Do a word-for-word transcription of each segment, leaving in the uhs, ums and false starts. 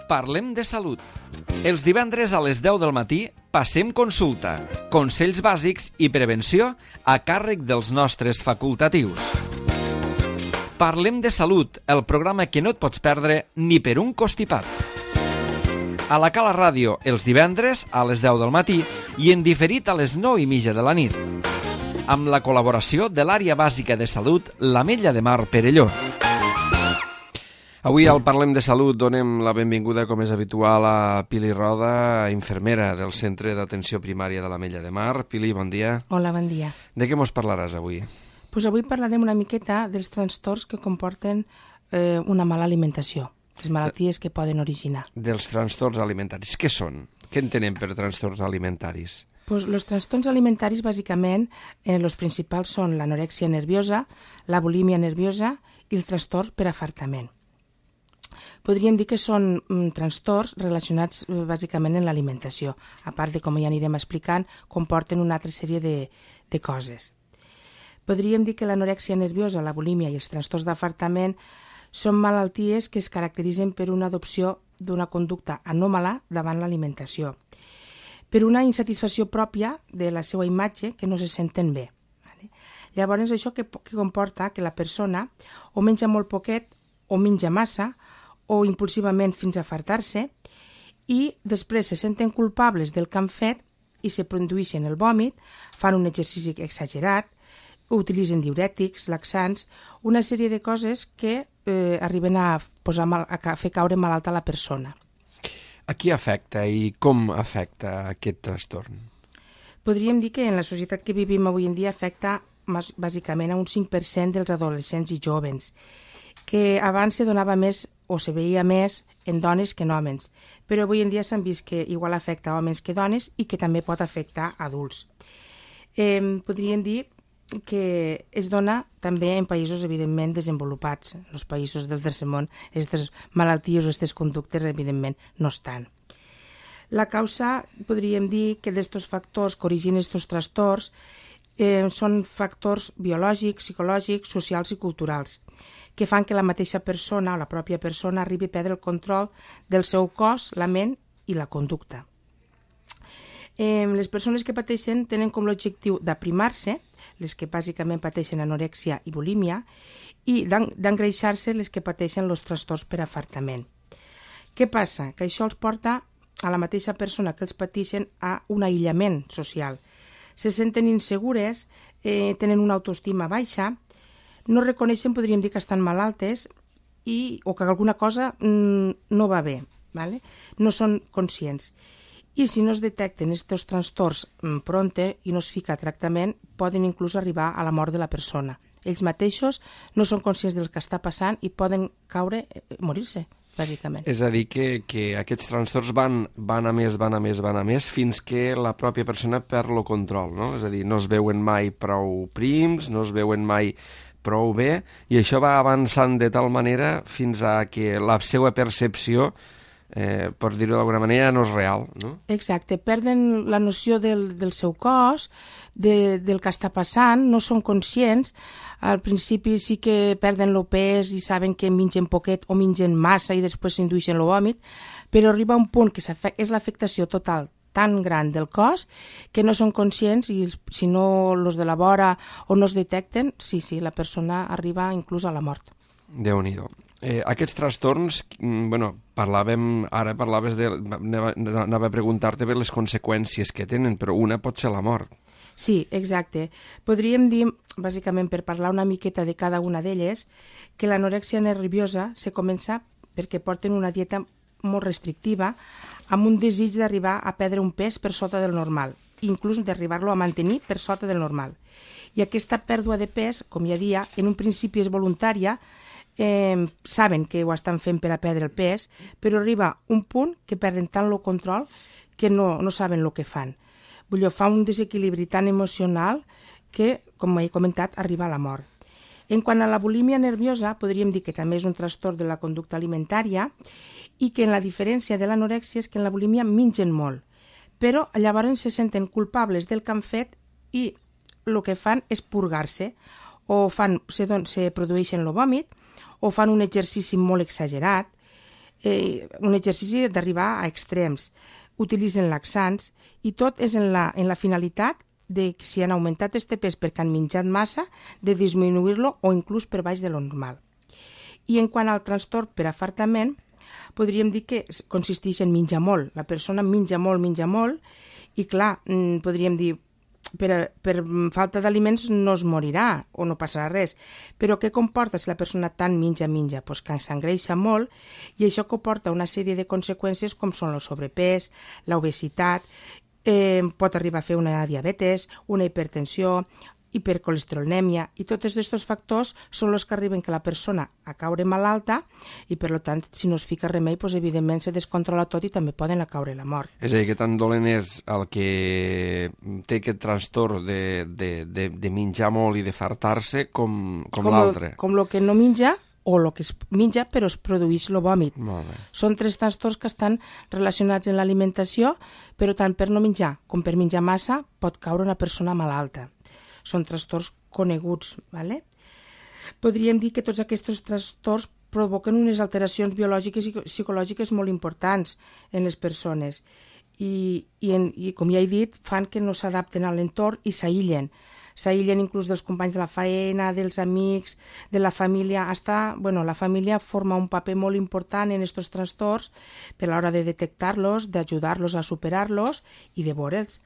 Parlem de salut. Els divendres a les deu del matí passem consulta, consells bàsics i prevenció a càrrec dels nostres facultatius. Parlem de salut, el programa que no et pots perdre ni per un costipat. A la Cala Ràdio, els divendres a les deu del matí i en diferit a les nou i mitja de la nit. Amb la col·laboració de l'Àrea Bàsica de Salut, l'Ametlla de Mar Perelló. Avui al Parlem de Salut donem la benvinguda, com és habitual, a Pili Roda, infermera del Centre d'Atenció Primària de l'Ametlla de Mar. Pili, bon dia. Hola, bon dia. De què mos parlaràs avui? Pues avui parlarem una miqueta dels trastorns que comporten eh, una mala alimentació, les malalties que poden originar. Dels trastorns alimentaris. Què són? Què entenem per trastorns alimentaris? Pues los trastorns alimentaris, bàsicament, eh, los principals són l'anorèxia nerviosa, la bulímia nerviosa i el trastorn per afartament. Podríem dir que són mm, trastorns relacionats eh, bàsicament en l'alimentació, a part de, com ja anirem explicant, comporten una altra sèrie de, de coses. Podríem dir que l'anorèxia nerviosa, la bulímia i els trastorns d'afartament són malalties que es caracteritzen per una adopció d'una conducta anòmala davant l'alimentació, per una insatisfacció pròpia de la seva imatge que no se senten bé. Vale? Llavors, això que, que comporta que la persona o menja molt poquet o menja massa o impulsivament fins a fartar-se i després se senten culpables del que han fet i se produeixen el vòmit, fan un exercici exagerat, utilitzen diurètics, laxants, una sèrie de coses que eh, arriben a, posar mal, a fer caure malalta a la persona. A qui afecta i com afecta aquest trastorn? Podríem dir que en la societat que vivim avui en dia afecta bàsicament a un cinc per cent dels adolescents i jovens, que abans se donava més o se veia més en dones que en homes, però avui en dia s'han vist que igual afecta homes que dones i que també pot afectar adults. Eh, podríem dir que es dona també en països evidentment desenvolupats. En els països del tercer món, aquestes malalties o aquestes conductes evidentment no estan. La causa, podríem dir que d'estos factors que originen estos trastorns eh, són factors biològics, psicològics, socials i culturals, que fan que la mateixa persona o la pròpia persona arribi a perdre el control del seu cos, la ment i la conducta. Eh, les persones que pateixen tenen com l'objectiu d'aprimar-se, les que bàsicament pateixen anorèxia i bulímia, i d'engreixar-se les que pateixen els trastorns per afartament. Què passa? Que això els porta a la mateixa persona que els pateixen a un aïllament social. Se senten insegures, eh, tenen una autoestima baixa, no reconeixen, podríem dir, que estan malaltes i, o que alguna cosa mm, no va bé, ¿vale? No són conscients. I si no es detecten aquests trastorns pronte i no es fica a tractament, poden inclús arribar a la mort de la persona. Ells mateixos no són conscients del que està passant i poden caure, eh, morir-se, bàsicament. És a dir, que, que aquests trastorns van, van a més, van a més, van a més, fins que la pròpia persona perd el control, no? És a dir, no es veuen mai prou prims, no es veuen mai prou bé, i això va avançant de tal manera fins a que la seva percepció, eh, per dir-ho d'alguna manera, no és real, no? Exacte, perden la noció del, del seu cos, de, del que està passant, no són conscients. Al principi sí que perden el pes i saben que mengen poquet o mengen massa i després s'indueixen el vòmit, però arriba un punt que és l'afectació total tan gran del cos que no són conscients i si no els de la vora o no es detecten, sí, sí, la persona arriba inclús a la mort. Déu-n'hi-do. Eh, aquests trastorns, bueno, parlàvem, ara parlaves de, anava a preguntar-te per les conseqüències que tenen, però una pot ser la mort. Sí, exacte. Podríem dir, bàsicament per parlar una miqueta de cada una d'elles, que l'anorèxia nerviosa se comença perquè porten una dieta molt restrictiva amb un desig d'arribar a perdre un pes per sota del normal, inclús d'arribar-lo a mantenir per sota del normal. I aquesta pèrdua de pes, com ja dia, en un principi és voluntària, eh, saben que ho estan fent per a perdre el pes, però arriba un punt que perden tant el control que no, no saben el que fan. Vull dir, fa un desequilibri tan emocional que, com he comentat, arriba a la mort. En quant a la bulímia nerviosa, podríem dir que també és un trastorn de la conducta alimentària i que en la diferència de l'anorèxia és que en la bulímia mengen molt, però llavors se senten culpables del que han fet i el que fan és purgar-se, o fan, se, don, se produeixen el vòmit, o fan un exercici molt exagerat, eh, un exercici d'arribar a extrems, utilitzen laxants i tot és en la, en la finalitat de que si han augmentat este pes perquè han menjat massa, de disminuir-lo o inclús per baix de lo normal. I en quant al trastorn per afartament, podríem dir que consisteix en menjar molt. La persona menja molt, menja molt, i clar, podríem dir, per, per falta d'aliments no es morirà o no passarà res. Però què comporta si la persona tant menja, menja? Pues que s'engreixa molt i això comporta una sèrie de conseqüències com són el sobrepès, l'obesitat, eh, pot arribar a fer una diabetes, una hipertensió, hipercolesterolèmia, i tots aquests factors són els que arriben que la persona a caure malalta i per tant si no es fica remei doncs, evidentment se descontrola tot i també poden a caure la mort. És a dir, que tan dolent és el que té aquest trastorn de, de, de, de menjar molt i de fartar-se com, com, com l'altre. Com el que no menja o el que es menja però es produeix el vòmit. Molt bé. Són tres trastorns que estan relacionats amb l'alimentació, però tant per no menjar com per menjar massa pot caure una persona malalta. Són trastorns coneguts. ¿Vale? Podríem dir que tots aquests trastorns provoquen unes alteracions biològiques i psicològiques molt importants en les persones i, i, en, i com ja he dit, fan que no s'adapten a l'entorn i s'aïllen. S'aïllen inclús dels companys de la feina, dels amics, de la família. Hasta, bueno, la família forma un paper molt important en aquests trastorns per l'hora de detectar-los, d'ajudar-los a superar-los i de veure'ls.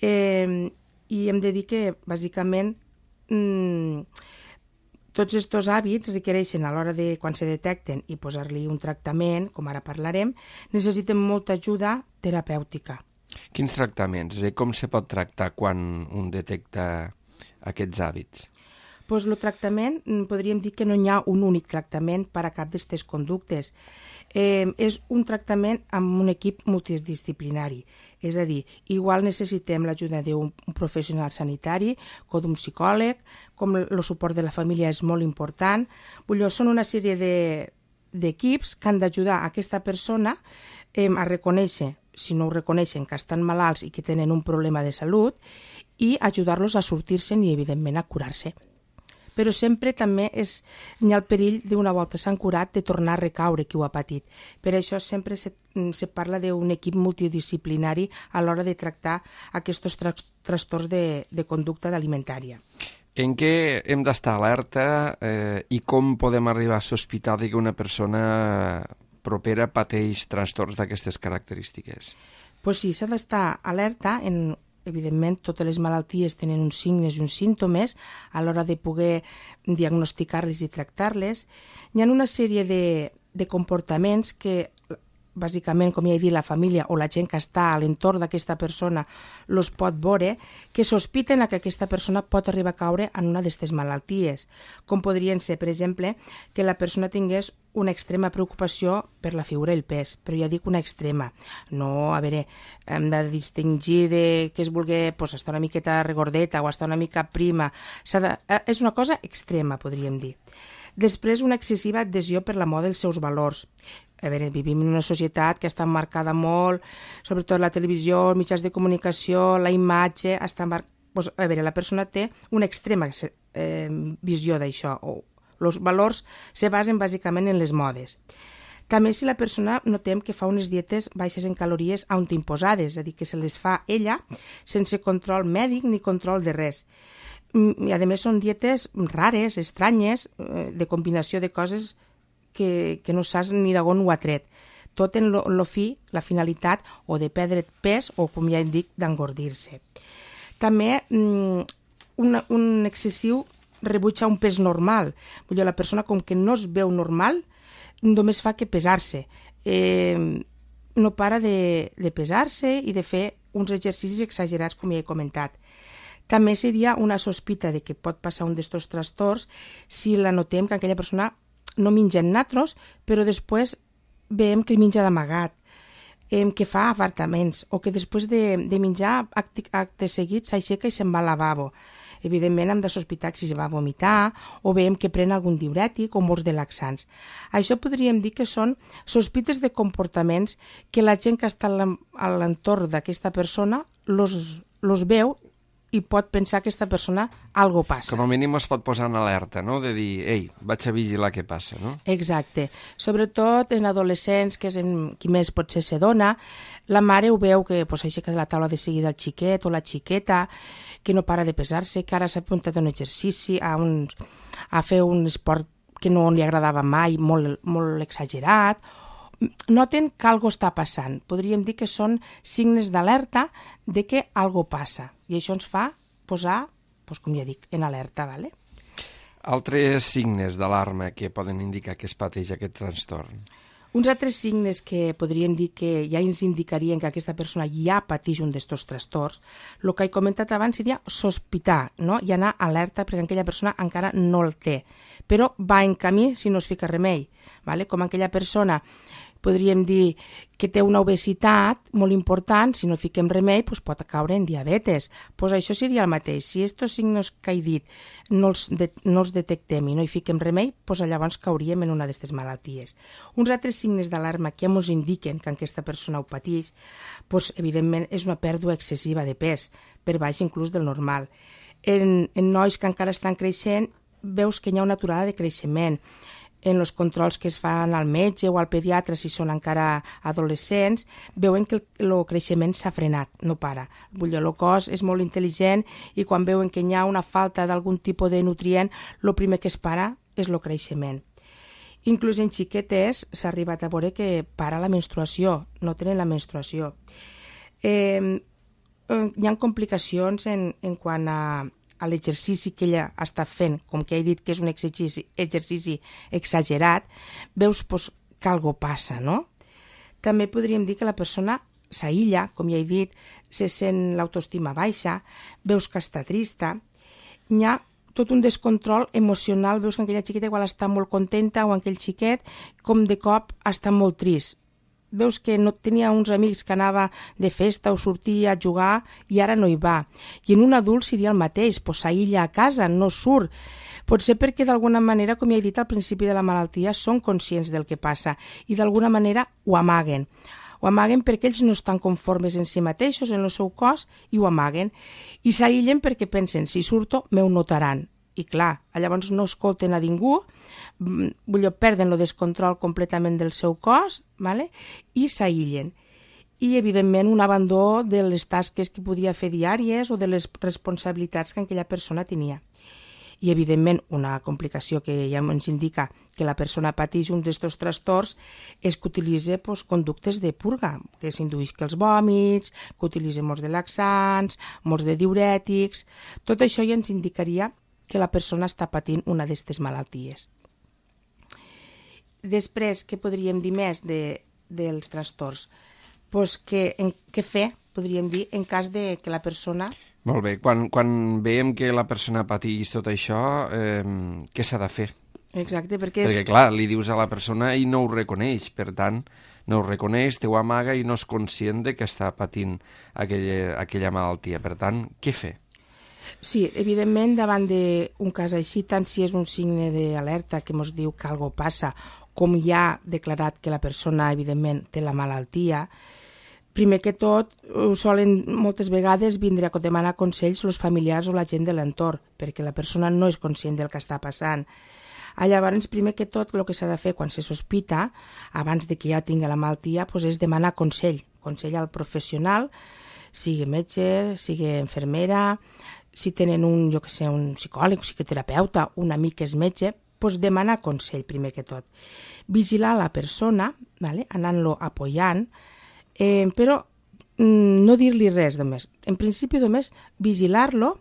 Eh, I hem de dir que, bàsicament, mmm, tots aquests hàbits requereixen, a l'hora de quan se detecten i posar-li un tractament, com ara parlarem, necessiten molta ajuda terapèutica. Quins tractaments? És a dir, com se pot tractar quan un detecta aquests hàbits? Pues el tractament, podríem dir que no hi ha un únic tractament per a cap d'aquestes conductes. Eh, és un tractament amb un equip multidisciplinari. És a dir, igual necessitem l'ajuda d'un professional sanitari o d'un psicòleg, com el suport de la família és molt important. Vull dir, són una sèrie de, d'equips que han d'ajudar a aquesta persona eh, a reconèixer, si no ho reconeixen, que estan malalts i que tenen un problema de salut, i ajudar-los a sortir-se'n i, evidentment, a curar-se. Però sempre també és, hi ha el perill d'una volta s'han curat de tornar a recaure qui ho ha patit. Per això sempre se, se parla d'un equip multidisciplinari a l'hora de tractar aquests tra trastorns de, de conducta alimentària. En què hem d'estar alerta eh, i com podem arribar a sospitar que una persona propera pateix trastorns d'aquestes característiques? Pues sí, s'ha d'estar alerta en... Evidentment, totes les malalties tenen uns signes i uns símptomes a l'hora de poder diagnosticar-les i tractar-les. Hi ha una sèrie de, de comportaments que, bàsicament, com ja he dit, la família o la gent que està a l'entorn d'aquesta persona los pot veure, que sospiten que aquesta persona pot arribar a caure en una d'aquestes malalties, com podrien ser, per exemple, que la persona tingués una extrema preocupació per la figura i el pes, però ja dic una extrema. No, a veure, hem de distingir de que es vulgui pues, estar una miqueta regordeta o estar una mica prima. De, és una cosa extrema, podríem dir. Després, una excessiva adhesió per la moda dels seus valors. A veure, vivim en una societat que està marcada molt, sobretot la televisió, els mitjans de comunicació, la imatge, està mar... pues, a veure, la persona té una extrema eh, visió d'això, o els valors se basen bàsicament en les modes. També si la persona notem que fa unes dietes baixes en calories autoimposades, és a dir, que se les fa ella sense control mèdic ni control de res. I a més són dietes rares, estranyes, de combinació de coses que, que no saps ni d'on ho ha tret. Tot en lo, lo fi, la finalitat o de perdre pes o, com ja dic, d'engordir-se. També un, un excessiu rebuig a un pes normal. Vull dir, la persona com que no es veu normal només fa que pesar-se. Eh, no para de, de pesar-se i de fer uns exercicis exagerats, com ja he comentat. També seria una sospita de que pot passar un d'aquests trastorns si la notem que aquella persona no menja natros, però després veiem que menja d'amagat, eh, que fa afartaments, o que després de, de menjar acte, acte seguit s'aixeca i se'n va al lavabo. Evidentment hem de sospitar si se va vomitar o veiem que pren algun diürètic o molts de laxants. Això podríem dir que són sospites de comportaments que la gent que està a l'entorn d'aquesta persona los, los veu i pot pensar que aquesta persona algo passa. Com a mínim es pot posar en alerta, no? De dir, ei, vaig a vigilar què passa, no? Exacte. Sobretot en adolescents, que és en qui més potser se dona, la mare ho veu que pues, aixeca de la taula de seguida el xiquet o la xiqueta, que no para de pesar-se, que ara s'ha apuntat a un exercici, a, un, a fer un esport que no li agradava mai, molt, molt exagerat. Noten que algo està passant. Podríem dir que són signes d'alerta de que algo passa. I això ens fa posar, doncs, com ja dic, en alerta. Vale? Altres signes d'alarma que poden indicar que es pateix aquest trastorn. Uns altres signes que podríem dir que ja ens indicarien que aquesta persona ja pateix un d'estos trastorns, el que he comentat abans seria sospitar, no? I anar alerta perquè aquella persona encara no el té, però va en camí si no es fica remei. Vale? Com aquella persona podríem dir que té una obesitat molt important, si no fiquem remei doncs pot caure en diabetes. Pues això seria el mateix. Si aquests signes que he dit no els, de, no els detectem i no hi fiquem remei, doncs llavors cauríem en una d'aquestes malalties. Uns altres signes d'alarma que ens indiquen que aquesta persona ho pateix, doncs, evidentment és una pèrdua excessiva de pes, per baix inclús del normal. En, en nois que encara estan creixent, veus que hi ha una aturada de creixement. En els controls que es fan al metge o al pediatre, si són encara adolescents, veuen que el, el creixement s'ha frenat, no para. El cos és molt intel·ligent i quan veuen que hi ha una falta d'algun tipus de nutrient, el primer que es para és el creixement. Inclús en xiquetes s'ha arribat a veure que para la menstruació, no tenen la menstruació. Eh, hi ha complicacions en, en quant a a l'exercici que ella està fent, com que he dit que és un exercici, exercici exagerat, veus pues, que algo passa, no? També podríem dir que la persona s'aïlla, com ja he dit, se sent l'autoestima baixa, veus que està trista, hi ha tot un descontrol emocional, veus que aquella xiqueta igual està molt contenta o aquell xiquet com de cop està molt trist. Veus que no tenia uns amics que anava de festa o sortia a jugar i ara no hi va. I en un adult seria el mateix, pues s'aïlla a casa, no surt. Potser perquè d'alguna manera, com ja he dit al principi de la malaltia, són conscients del que passa i d'alguna manera ho amaguen. Ho amaguen perquè ells no estan conformes en si mateixos, en el seu cos, i ho amaguen. I s'aïllen perquè pensen, si surto, m'ho notaran. I clar, llavors no escolten a ningú, perden el descontrol completament del seu cos, vale? I s'aïllen. I, evidentment, un abandó de les tasques que podia fer diàries o de les responsabilitats que aquella persona tenia. I, evidentment, una complicació que ja ens indica que la persona pateix un d'aquests trastorns és que utilitza pues, conductes de purga, que s'indueix que els vòmits, que utilitza molts de laxants, molts de diurètics. Tot això ja ens indicaria que la persona està patint una d'aquestes malalties. Després, què podríem dir més de, dels trastorns? Pues que, en, què fer, podríem dir, en cas de que la persona... Molt bé, quan, quan veiem que la persona pateix tot això, eh, què s'ha de fer? Exacte, perquè... És... Perquè, clar, li dius a la persona i no ho reconeix, per tant, no ho reconeix, te ho amaga i no és conscient de que està patint aquella, aquella malaltia. Per tant, què fer? Sí, evidentment, davant d'un cas així, tant si és un signe d'alerta que ens diu que alguna cosa passa, com ja ha declarat que la persona, evidentment, té la malaltia, primer que tot, solen moltes vegades vindre a demanar consells els familiars o la gent de l'entorn, perquè la persona no és conscient del que està passant. Llavors, primer que tot, el que s'ha de fer quan se sospita, abans de que ja tingui la malaltia, doncs és demanar consell, consell al professional, sigui metge, sigui infermera, si tenen un, jo que sé, un psicòleg, un psicoterapeuta, un amic que és metge, doncs demanar consell primer que tot. Vigilar la persona, vale? Anant-lo apoyant, eh, però mm, no dir-li res només. En principi només vigilar-lo,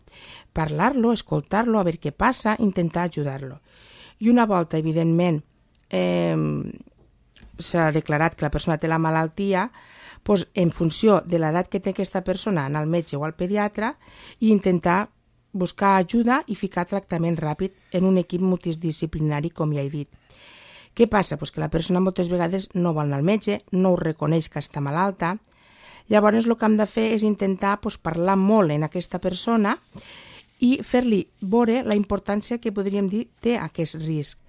parlar-lo, escoltar-lo, a veure què passa, intentar ajudar-lo. I una volta, evidentment, eh, s'ha declarat que la persona té la malaltia, doncs, en funció de l'edat que té aquesta persona, anar al metge o al pediatre i intentar buscar ajuda i ficar tractament ràpid en un equip multidisciplinari, com ja he dit. Què passa? Pues que la persona moltes vegades no vol anar al metge, no ho reconeix que està malalta. Llavors el que hem de fer és intentar pues, parlar molt en aquesta persona i fer-li veure la importància que podríem dir té aquest risc.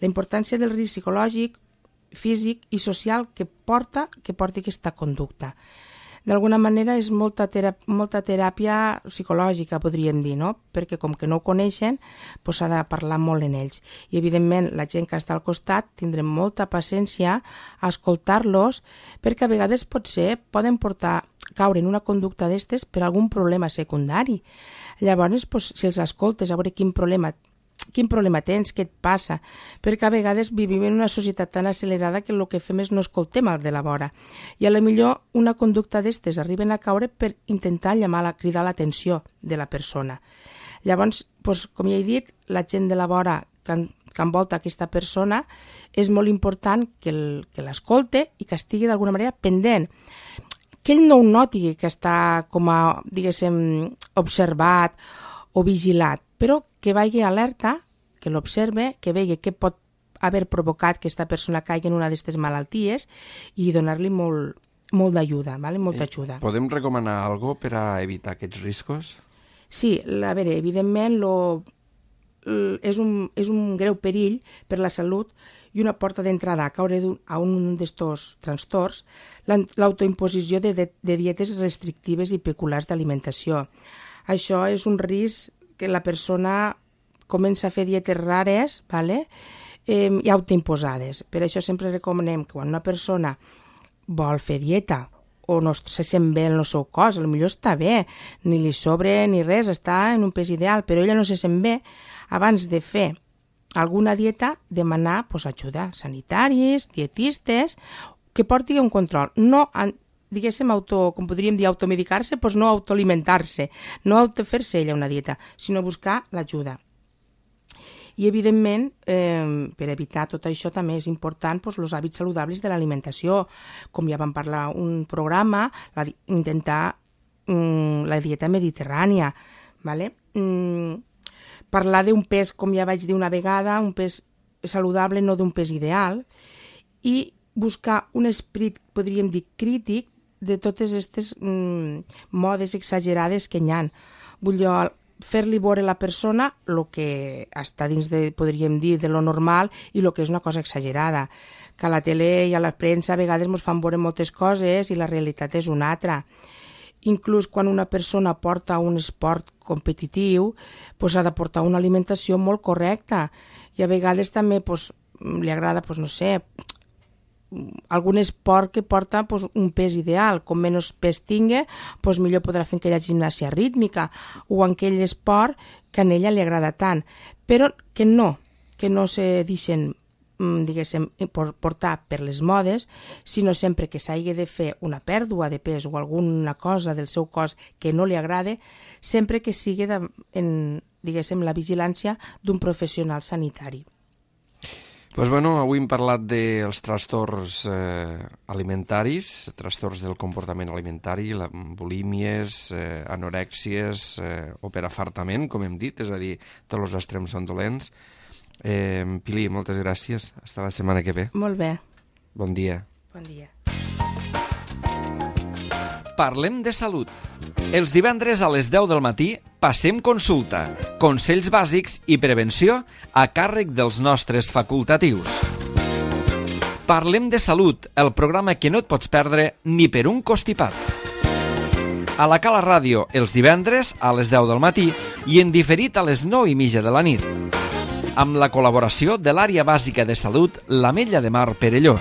La importància del risc psicològic, físic i social que porta que porti aquesta conducta. d'alguna manera és molta, terap molta teràpia psicològica, podríem dir, no? Perquè com que no ho coneixen, doncs s'ha de parlar molt en ells. I, evidentment, la gent que està al costat tindrem molta paciència a escoltar-los, perquè a vegades potser poden portar, caure en una conducta d'estes per algun problema secundari. Llavors, doncs, si els escoltes, a veure quin problema quin problema tens, què et passa, perquè a vegades vivim en una societat tan accelerada que el que fem és no escoltem el de la vora. I a la millor una conducta d'estes arriben a caure per intentar llamar, la, cridar l'atenció de la persona. Llavors, doncs, com ja he dit, la gent de la vora que, que envolta aquesta persona és molt important que l'escolte i que estigui d'alguna manera pendent. Que ell no ho noti que està com a, diguéssim, observat o vigilat, però que vagi alerta, que l'observe, que vegi què pot haver provocat que aquesta persona caigui en una d'aquestes malalties i donar-li molt, molt d'ajuda, ¿vale? Molta ajuda. Podem recomanar alguna cosa per a evitar aquests riscos? Sí, a veure, evidentment lo, és, un, és un greu perill per la salut i una porta d'entrada a caure a un d'estos trastorns, l'autoimposició de, de, de dietes restrictives i peculiars d'alimentació. Això és un risc que la persona comença a fer dietes rares, ¿vale? eh, i autoimposades. Per això sempre recomanem que quan una persona vol fer dieta o no se sent bé en el seu cos, potser està bé, ni li sobre ni res, està en un pes ideal, però ella no se sent bé, abans de fer alguna dieta, demanar pues, ajuda sanitaris, dietistes, que porti un control. No, diguéssim, auto, com podríem dir, automedicar-se, doncs no autoalimentar-se, no autofer-se ella una dieta, sinó buscar l'ajuda. I, evidentment, eh, per evitar tot això també és important doncs, els hàbits saludables de l'alimentació. Com ja vam parlar un programa, la, intentar mm, la dieta mediterrània. ¿Vale? Mm, parlar d'un pes, com ja vaig dir una vegada, un pes saludable, no d'un pes ideal, i buscar un esperit, podríem dir, crític de totes aquestes mm, modes exagerades que hi ha. Vull dir, fer-li veure a la persona el que està dins de, podríem dir, de lo normal i el que és una cosa exagerada. Que a la tele i a la premsa a vegades ens fan veure moltes coses i la realitat és una altra. Inclús quan una persona porta un esport competitiu, doncs ha de portar una alimentació molt correcta. I a vegades també doncs, li agrada, doncs, no sé, algun esport que porta pues, un pes ideal, com menys pes tingui, pues, millor podrà fer aquella gimnàsia rítmica o en aquell esport que a ella li agrada tant, però que no, que no se deixen diguéssim, portar per les modes, sinó sempre que s'hagi de fer una pèrdua de pes o alguna cosa del seu cos que no li agrade, sempre que sigui de, en, diguéssim, la vigilància d'un professional sanitari. Pues bueno, avui hem parlat dels trastorns eh, alimentaris, trastorns del comportament alimentari, la, bulímies, eh, anorèxies eh, o per afartament, com hem dit, és a dir, tots els extrems són dolents. Eh, Pili, moltes gràcies. Hasta la setmana que ve. Molt bé. Bon dia. Bon dia. Parlem de salut. Els divendres a les deu del matí passem consulta, consells bàsics i prevenció a càrrec dels nostres facultatius. Parlem de salut, el programa que no et pots perdre ni per un costipat. A la Cala Ràdio els divendres a les deu del matí i en diferit a les nou i mitja de la nit. Amb la col·laboració de l'Àrea Bàsica de Salut l'Ametlla de Mar Perelló.